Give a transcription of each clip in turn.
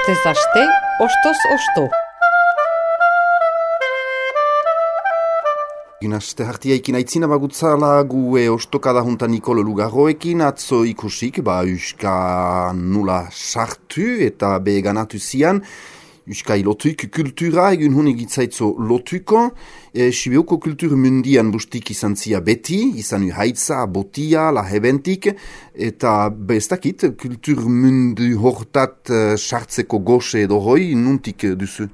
Astez aste, ostoz osto. Aste hartiaikin aitzina bagutzala gue ostokada juntan Nikolo Lugarroekin atzo ikusik, Euska nula sartu eta beganatu zian. Euska ilotuik kultura egun hun egitzaitzo lotuko. Sibeuko kultur mundian bustik izan zia beti, izan haitza, botia, lahebentik, eta bestakit kultur mundu hortat sartzeko goxe edo hoi nuntik duzu?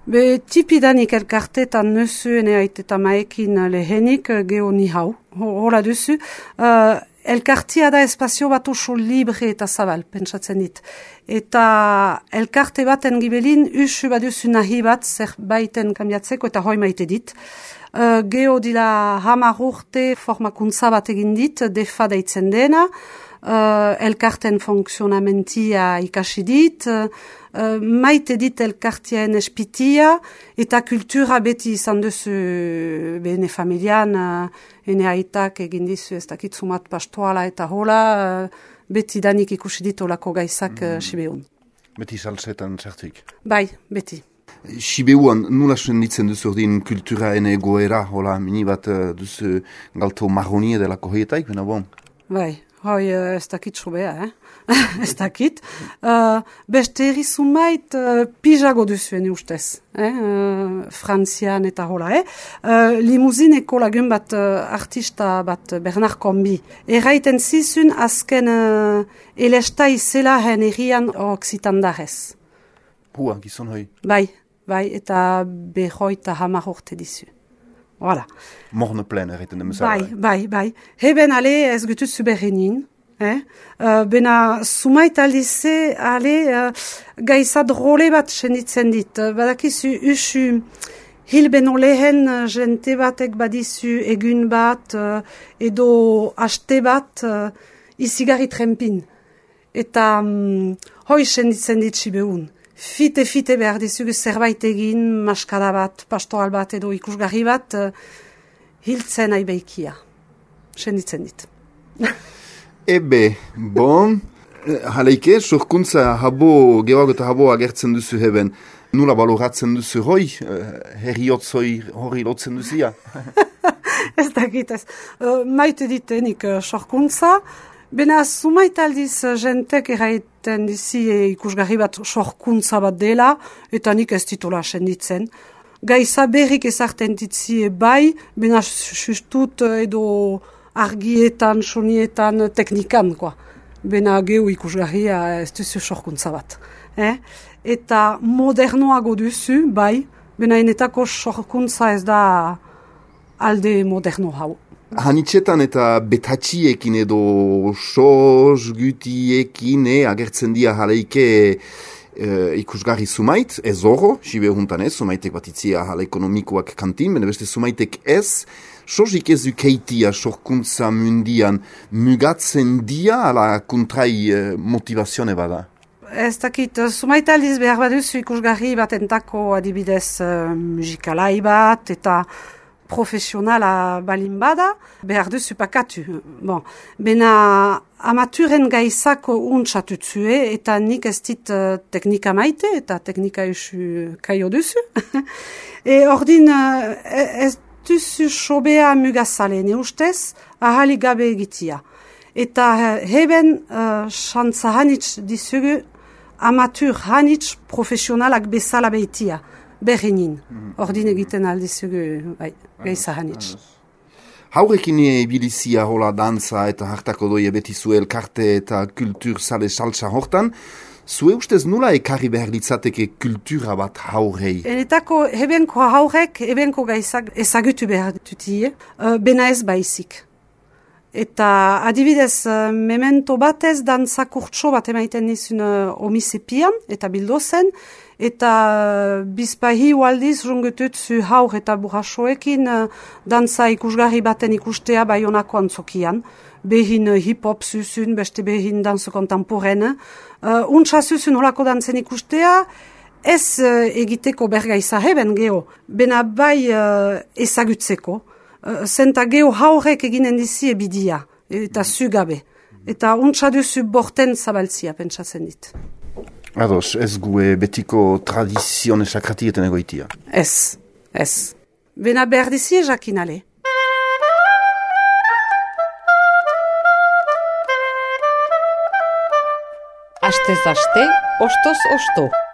Be tipidanik elkartetan nözuen eta maekin lehenik geho ni hau, hola duzu. Elkartia da espazio bat oso libre eta zabal, pentsatzen dit. Eta elkarte baten gibelin, usu baduzu nahi bat zerbaiten kambiatzeko eta hoi maite dit. Geho dila 10 urte formakuntza bat egin dit, defa deitzen dena. Elkarten funksionamentia ikasi dit, maite dit elkartiaen espitia, eta kultura beti izan duzu bene familian, ene aitak egin dizu ez dakitzumat pastoala eta hola, beti danik ikusi dit olako gaizak Sibeun. Beti salsetan zertuik? Bai, beti. Sibeuan nula senditzen duzu ordin kulturaen egoera, hola, mini bat duzu galto marronie delako hoietaik, bena bon? Bai. Hoi, ez dakit sobea, ez dakit. Beste erizumait pijago duzuen ustez, Frantzian eta hola, Limuzineko lagun bat artista bat Bernard Combi. Erraiten zizun azken elesta izela herrian oksitandarez. Hua, gizon hoi? Bai, eta behoita 10 urte dizu. Voilà. Morne plen erreten demezala. Bai. Heben ale ez gutut zuberrenin. Bena sumait aldize ale gaizad role bat senditzen dit. Badakizu usu hilbeno lehen jente batek badizu egun bat edo haste bat izigarri trempin. Eta hoi senditzen dit Sibeun. Fite behar dizugu zerbait egin, maskara bat, pastoral bat edo ikusgarri bat, hiltzen aibeikia. Senditzen dit. Ebe, bon, haleike, sorkuntza habo, geoago eta habo agertzen duzu heben. Nula baloratzen duzu hoi, herriotzoi hori lotzen duzia? Ez dakit ez. Maite ditenik sorkuntza. Bena, sumait aldiz jentek erraiten dizi ikusgarri bat sorkuntza bat dela, eta nik ez titula senditzen. Gaiza berrik ezarten ditzi bai, bena sustut edo argietan, sonietan, teknikan, Bena gehu ikusgarria ez duzu sorkuntza bat. Eta modernoago duzu, bai, bena enetako sorkuntza ez da alde moderno hau. Hanitzetan eta betatxiekin edo soz gutiekin agertzen dia jaleike ikusgarri sumait, ez oro, sibe juntan ez, sumaitek bat itzia jale ekonomikoak kantin, bene beste sumaitek ez, sozik ez dukeitia sorkuntza mundian mugatzen dia ala kontrai motivazione bada? Ez dakit, sumait aldiz behar baduzu ikusgarri bat entako adibidez musikalai bat eta profesionala balin bada, behar duzu pakatu. Bon. Bena amaturen gaizako untsatutzue, eta nik ez dit teknika maite, eta teknika esu kaio duzu. Ordin, ez duzu sobea mugazale, ne ustez, ahalik gabe egitia. Eta heben xantza hanitz dizugu, amatur hanitz profesionalak bezala behitia. Berrenin, ordin egiten aldizugu, gaiza hanitz. Haurekin ebilizia hola danza eta hartako doie beti zu elkarte eta kultur sale saltsa hortan, zue ustez nula ekarri behar litzateke kultura bat haurei? Enetako hebenko haurek, hebenko gaizak ezagutu behar dutie, bena ez baizik. Eta adibidez, memento batez danza kurtso bat emaiten nizun omisepian eta bildozen, eta bizpahi ualdiz rungutut zu haur eta burrasoekin danza ikusgarri baten ikustea Baionako antzokian. Behin hip-hop zuzun, beste behin danzo kontemporen. Untsa zuzun holako dantzen ikustea, ez egiteko bergaiza heben geho, bena bai ezagutzeko. Zenta geho haurek eginen dizi ebidia, eta zugabe. Eta untsa duzu borten zabaltzia, pentsatzen dit. Ados, ez gue betiko tradizione sakratieten egoitia. Ez. Bena behar dizie jakinale. Astez aste, ostoz osto.